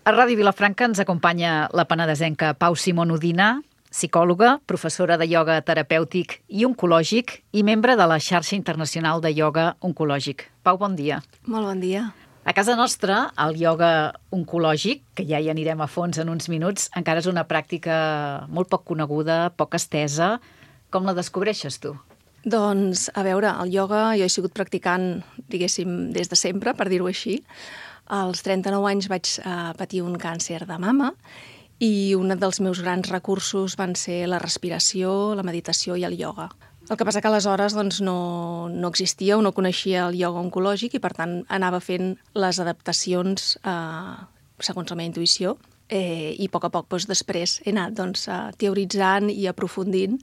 A Ràdio Vilafranca ens acompanya la penedesenca Pau Simón Udina, psicòloga, professora de ioga terapèutic i oncològic i membre de la xarxa internacional de ioga oncològic. Pau, bon dia. Molt bon dia. A casa nostra, el ioga oncològic, que ja hi anirem a fons en uns minuts, encara és una pràctica molt poc coneguda, poc estesa. Com la descobreixes tu? Doncs, a veure, el ioga jo he sigut practicant, diguéssim, des de sempre, per dir-ho així. Als 39 anys vaig patir un càncer de mama i un dels meus grans recursos van ser la respiració, la meditació i el ioga. El que passa que aleshores doncs, no existia o no coneixia el ioga oncològic i, per tant, anava fent les adaptacions segons la meva intuïció i a poc doncs, després he anat teoritzant i aprofundint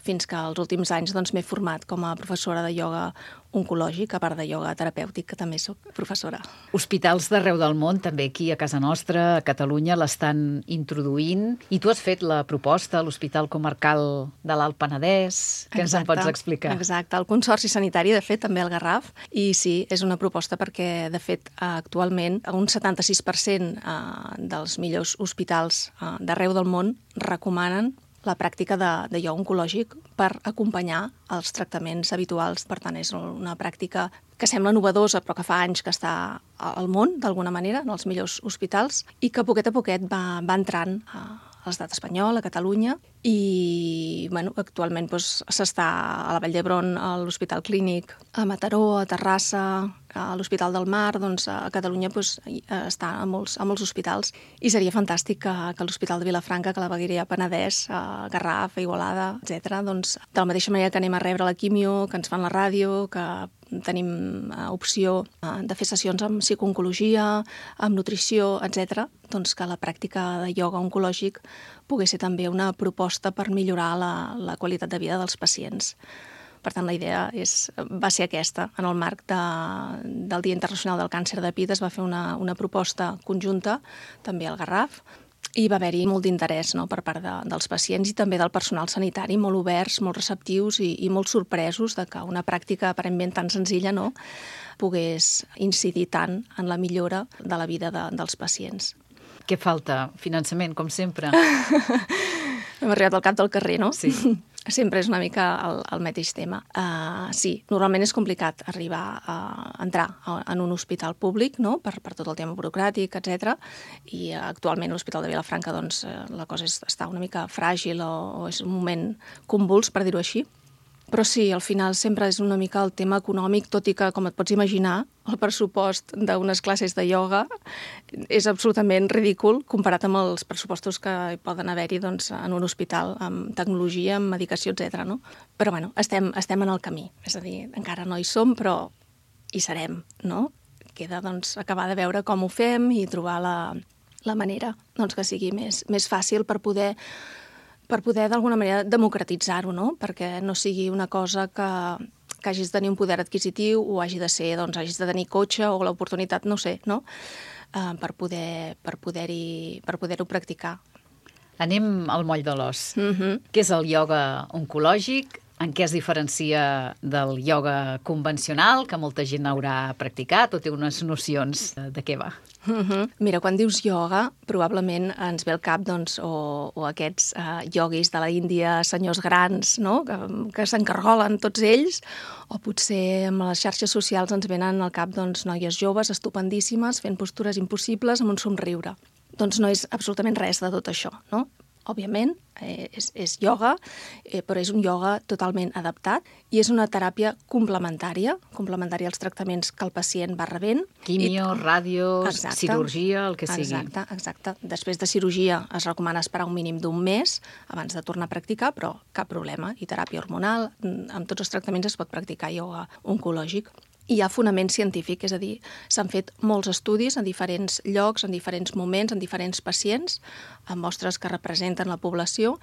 fins que als últims anys m'he format com a professora de ioga oncològic, a part de ioga terapèutic, que també soc professora. Hospitals d'arreu del món, també aquí a casa nostra, a Catalunya, l'estan introduint. I tu has fet la proposta a l'Hospital Comarcal de l'Alt Penedès. Què ens en pots explicar? Exacte, el Consorci Sanitari, de fet, també al Garraf. I sí, és una proposta perquè, de fet, actualment, un 76% dels millors hospitals d'arreu del món recomanen la pràctica de ioga oncològic per acompanyar els tractaments habituals. Per tant, és una pràctica que sembla novedosa, però que fa anys que està al món, d'alguna manera, en els millors hospitals, i que poquet a poquet va entrant a l'estat espanyol, a Catalunya, i actualment s'està a la Vall d'Hebron, a l'Hospital Clínic, a Mataró, a Terrassa, a l'Hospital del Mar, a Catalunya està a molts hospitals, i seria fantàstic que l'Hospital de Vilafranca, que la Vegueria Penedès, a Garraf, a Igualada, etc., de la mateixa manera que anem a rebre la quimio, que ens fan la ràdio, que tenim opció de fer sessions amb psicooncologia, amb nutrició, etc., que la pràctica de ioga oncològic pogués ser també una proposta per millorar la qualitat de vida dels pacients. Per tant, la idea va ser aquesta. En el marc del Dia Internacional del Càncer de pit es va fer una proposta conjunta, també al Garraf, i va haver-hi molt d'interès per part dels pacients i també del personal sanitari, molt oberts, molt receptius i molt sorpresos de que una pràctica aparentment tan senzilla pogués incidir tant en la millora de la vida dels pacients. Què falta? Finançament, com sempre? Hem arribat al cap del carrer, no? Sí. Sempre és una mica el mateix tema. Sí, normalment és complicat arribar a entrar en un hospital públic, no?, per tot el tema burocràtic, etc. I actualment a l'Hospital de Vilafranca la cosa està una mica fràgil o és un moment convuls, per dir-ho així. Però sí, al final sempre és una mica el tema econòmic, tot i que, com et pots imaginar, el pressupost d'unes classes de ioga és absolutament ridícul comparat amb els pressupostos que hi poden haver-hi en un hospital amb tecnologia, amb medicació, etc. No? Però estem en el camí. És a dir, encara no hi som, però hi serem, no? Queda acabar de veure com ho fem i trobar la manera que sigui més fàcil per poder d'alguna manera democratitzar-ho, no? Perquè no sigui una cosa que hagis de tenir un poder adquisitiu o hagi de ser, hagis de tenir cotxe o l'oportunitat, no sé, no? Per poder-ho practicar. Anem al moll de l'os. Què és el ioga oncològic? En què es diferencia del ioga convencional, que molta gent haurà practicat o té unes nocions de què va? Mira, quan dius ioga, probablement ens ve al cap o aquests ioguis de la Índia, senyors grans, no?, que s'encargolen tots ells, o potser amb les xarxes socials ens venen al cap noies joves estupendíssimes fent postures impossibles amb un somriure. Doncs no és absolutament res de tot això, no? Òbviament, és ioga, però és un ioga totalment adaptat i és una teràpia complementària als tractaments que el pacient va rebent. Quimio, ràdio, cirurgia, el que sigui. Exacte. Després de cirurgia es recomana esperar un mínim d'un mes abans de tornar a practicar, però cap problema. I teràpia hormonal, amb tots els tractaments es pot practicar ioga oncològic. Hi ha fonament científic, és a dir, s'han fet molts estudis en diferents llocs, en diferents moments, en diferents pacients, amb mostres que representen la població,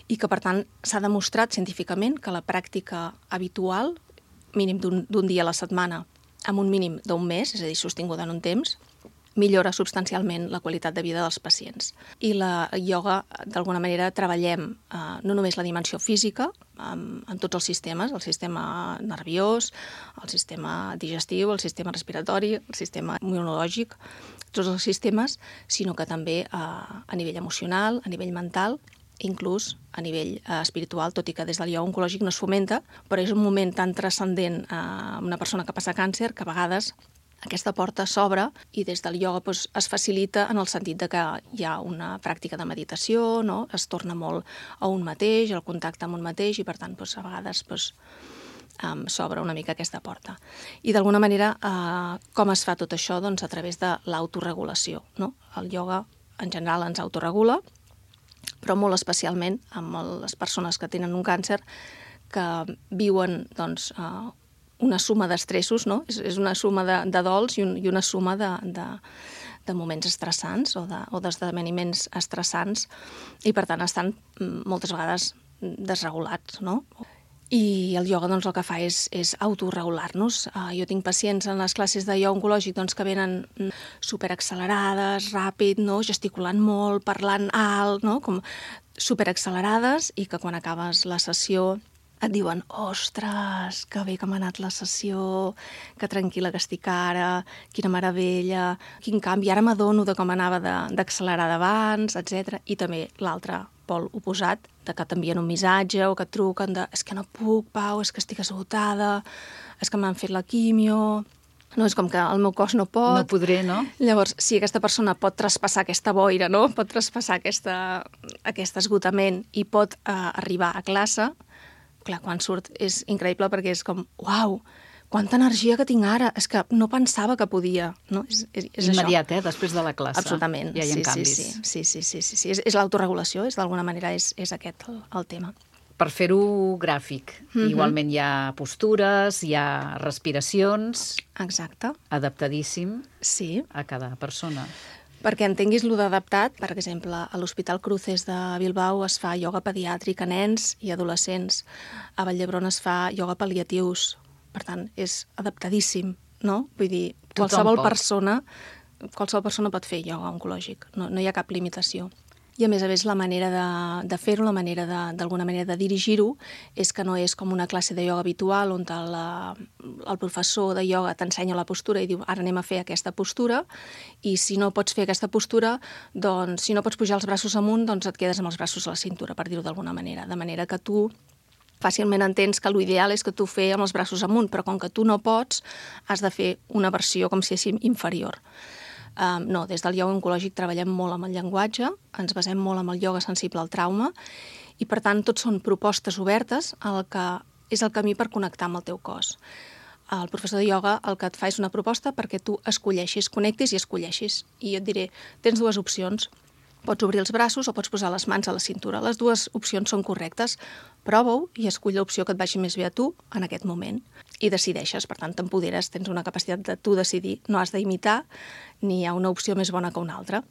i que, per tant, s'ha demostrat científicament que la pràctica habitual, mínim d'un dia a la setmana, amb un mínim d'un mes, és a dir, sostinguda en un temps, millora substancialment la qualitat de vida dels pacients. I la ioga, d'alguna manera, treballem no només la dimensió física, en tots els sistemes, el sistema nerviós, el sistema digestiu, el sistema respiratori, el sistema immunològic, tots els sistemes, sinó que també a nivell emocional, a nivell mental, inclús a nivell espiritual, tot i que des del ioga oncològic no es fomenta, però és un moment tan transcendent a una persona que passa càncer que a vegades aquesta porta s'obre i des del ioga es facilita en el sentit de que hi ha una pràctica de meditació, no? Es torna molt a un mateix, el contacte amb un mateix, i per tant a vegades s'obre una mica aquesta porta. I d'alguna manera, com es fa tot això? Doncs a través de l'autoregulació, no? El ioga en general ens autoregula, però molt especialment amb les persones que tenen un càncer que viuen una suma d'estressos, no? És una suma de dols i una suma de moments estressants o d'esdeveniments estressants, i per tant estan moltes vegades desregulats, no? I el ioga el que fa és autoregular-nos. Jo tinc pacients en les classes de ioga oncològic que venen superaccelerades, ràpid, no? Gesticulant molt, parlant alt, no? Com superaccelerades, i que quan acabes la sessió et diuen: ostres, que bé que m'ha anat la sessió, que tranquil·la que estic ara, quina meravella, quin canvi, ara m'adono de com anava d'accelerada abans, etc. I també l'altre pol oposat, de que t'envien un missatge o que et truquen de: és que no puc, Pau, és que estic esgotada, és que m'han fet la quimio, no, és com que el meu cos no pot. No podré, no? Llavors, si aquesta persona pot traspassar aquesta boira, no? Pot traspassar aquest esgotament i pot arribar a classe, clar, quan surt és increïble, perquè és com: uau, quanta energia que tinc ara, és que no pensava que podia, no? És immediat, això. Després de la classe. Absolutament. Ja hi ha canvis. Sí. És l'autoregulació, d'alguna manera és aquest el tema. Per fer-ho gràfic, igualment hi ha postures, hi ha respiracions. Exacte. Adaptadíssim Sí. a cada persona. Perquè entenguis lo d'adaptat, per exemple, a l'Hospital Cruces de Bilbao es fa ioga pediàtric a nens i adolescents. A Vall d'Hebron es fa ioga pal·liatius. Per tant, és adaptadíssim, no? Vull dir, qualsevol persona pot fer ioga oncològic. No hi ha cap limitació. I a més, la manera de fer-ho, la manera d'alguna manera de dirigir-ho, és que no és com una classe de ioga habitual on el professor de ioga t'ensenya la postura i diu: ara anem a fer aquesta postura, i si no pots fer aquesta postura, doncs si no pots pujar els braços amunt, doncs et quedes amb els braços a la cintura, per dir-ho d'alguna manera. De manera que tu fàcilment entens que l'ideal és que tu fer amb els braços amunt, però com que tu no pots, has de fer una versió com si féssim inferior. No, des del ioga oncològic treballem molt amb el llenguatge, ens basem molt en el ioga sensible al trauma, i per tant tots són propostes obertes al que és el camí per connectar amb el teu cos. El professor de ioga el que et fa és una proposta perquè tu escolleixis, connectis i escolleixis. I jo et diré: tens dues opcions. Pots obrir els braços o pots posar les mans a la cintura. Les dues opcions són correctes. Prova-ho i escull l'opció que et vagi més bé a tu en aquest moment. I decideixes, per tant, t'empoderes, tens una capacitat de tu decidir. No has d'imitar, ni hi ha una opció més bona que una altra.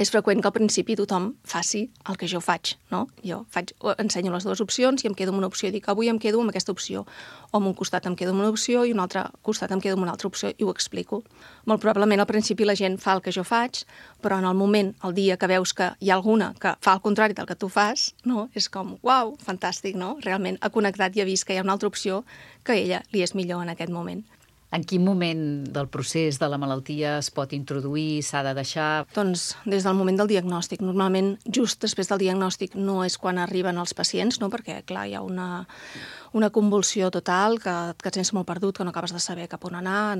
És freqüent que al principi tothom faci el que jo faig, no? Jo ensenyo les dues opcions i em quedo amb una opció i dic: avui em quedo amb aquesta opció. O amb un costat em quedo amb una opció i un altre costat em quedo amb una altra opció, i ho explico. Molt probablement al principi la gent fa el que jo faig, però en el moment, el dia que veus que hi ha alguna que fa el contrari del que tu fas, no? És com: uau, fantàstic, no? Realment ha connectat i ha vist que hi ha una altra opció que a ella li és millor en aquest moment. En quin moment del procés de la malaltia es pot introduir, s'ha de deixar? Doncs des del moment del diagnòstic. Normalment, just després del diagnòstic no és quan arriben els pacients, no? Perquè, clar, hi ha una convulsió total, que et sents molt perdut, que no acabes de saber cap on anar,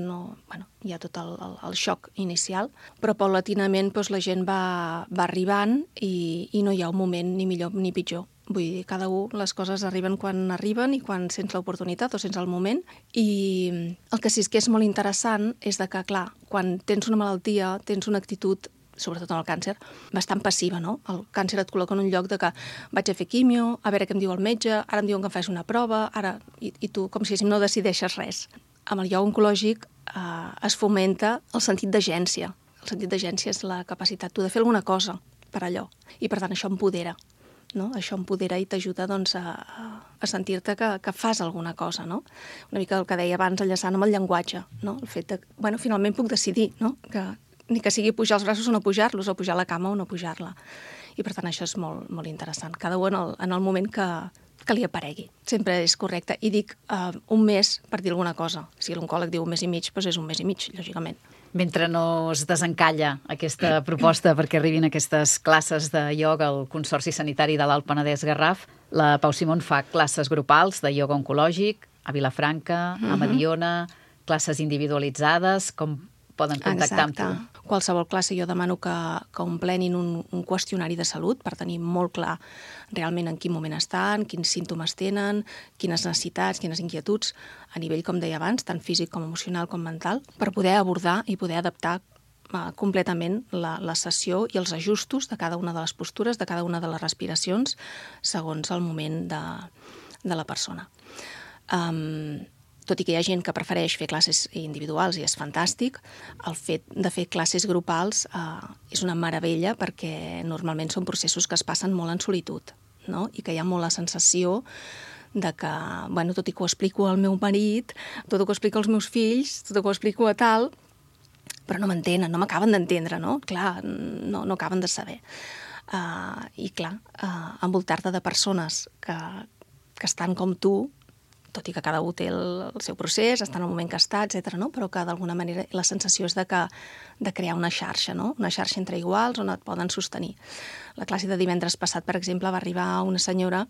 hi ha tot el xoc inicial. Però paulatinament la gent va arribant i no hi ha un moment ni millor ni pitjor. Vull dir, cada les coses arriben quan arriben i quan sents l'oportunitat o sents el moment. I el que sí que és molt interessant és que, clar, quan tens una malaltia, tens una actitud, sobretot en el càncer, bastant passiva, no? El càncer et col·loca en un lloc de que vaig a fer quimio, a veure què em diu el metge, ara em diuen que em faig una prova, i tu com si no decideixes res. Amb el ioga oncològic es fomenta el sentit d'agència. El sentit d'agència és la capacitat tu de fer alguna cosa per allò, i per tant això empodera. No? Això empodera i t'ajuda a sentir-te que fas alguna cosa, no? Una mica el que deia abans, enllaçant amb el llenguatge, no? El fet de, finalment puc decidir, no? Que ni que sigui pujar els braços o no pujar-los, o pujar la cama o no pujar-la. I per tant això és molt, molt interessant. Cada un en el moment que li aparegui. Sempre és correcte. I dic un mes per dir alguna cosa. Si l'oncòleg diu un mes i mig, doncs és un mes i mig, lògicament. Mentre no es desencalla aquesta proposta perquè arribin aquestes classes de ioga al Consorci Sanitari de l'Alt Penedès Garraf, la Pau Simón fa classes grupals de ioga oncològic a Vilafranca, a Mediona, classes individualitzades, com poden contactar amb tu? Qualsevol classe jo demano que emplenin un qüestionari de salut per tenir molt clar realment en quin moment estan, quins símptomes tenen, quines necessitats, quines inquietuds, a nivell, com deia abans, tant físic com emocional com mental, per poder abordar i poder adaptar completament la sessió i els ajustos de cada una de les postures, de cada una de les respiracions, segons el moment de la persona. Tot i que hi ha gent que prefereix fer classes individuals i és fantàstic, el fet de fer classes grupals és una meravella perquè normalment són processos que es passen molt en solitud, no? I que hi ha molt la sensació de que, bueno, tot i que ho explico al meu marit, tot i que ho explico als meus fills, tot i que ho explico a tal, però no m'entenen, no m'acaben d'entendre, no? Clar, no acaben de saber. I clar, envoltar-te de persones que estan com tu, tot i que cada un té el seu procés, està en el moment que està, etc., no? Però que d'alguna manera la sensació és de crear una xarxa, no? Una xarxa entre iguals on et poden sostenir. La classe de divendres passat, per exemple, va arribar una senyora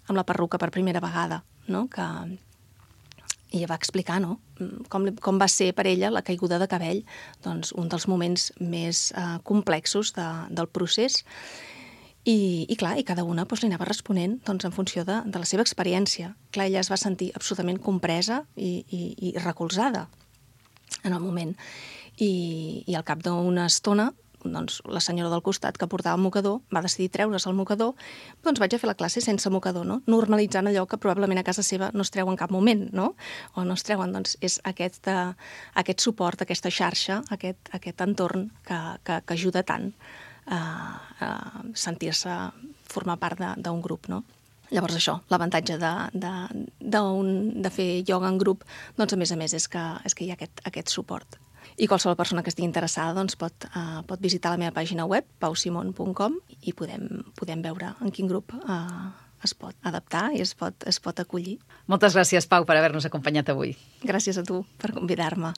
amb la perruca per primera vegada, no? I ella va explicar, no? Com va ser per ella la caiguda de cabell, doncs un dels moments més complexos del procés. I clar, i cada una li anava responent en funció de la seva experiència. Clar, ella es va sentir absolutament compresa i recolzada en el moment. I al cap d'una estona, la senyora del costat que portava el mocador va decidir treure's el mocador, doncs vaig a fer la classe sense mocador, no? Normalitzant allò que probablement a casa seva no es treu en cap moment, no? O no es treuen, doncs és aquest suport, aquesta xarxa, aquest entorn que ajuda tant a sentir-se formar part d'un grup, no? Llavors això, l'avantatge de fer ioga en grup, doncs a més és que hi ha aquest suport. I qualsevol persona que estigui interessada doncs pot visitar la meva pàgina web, pausimon.com, i podem veure en quin grup es pot adaptar i es pot acollir. Moltes gràcies, Pau, per haver-nos acompanyat avui. Gràcies a tu per convidar-me.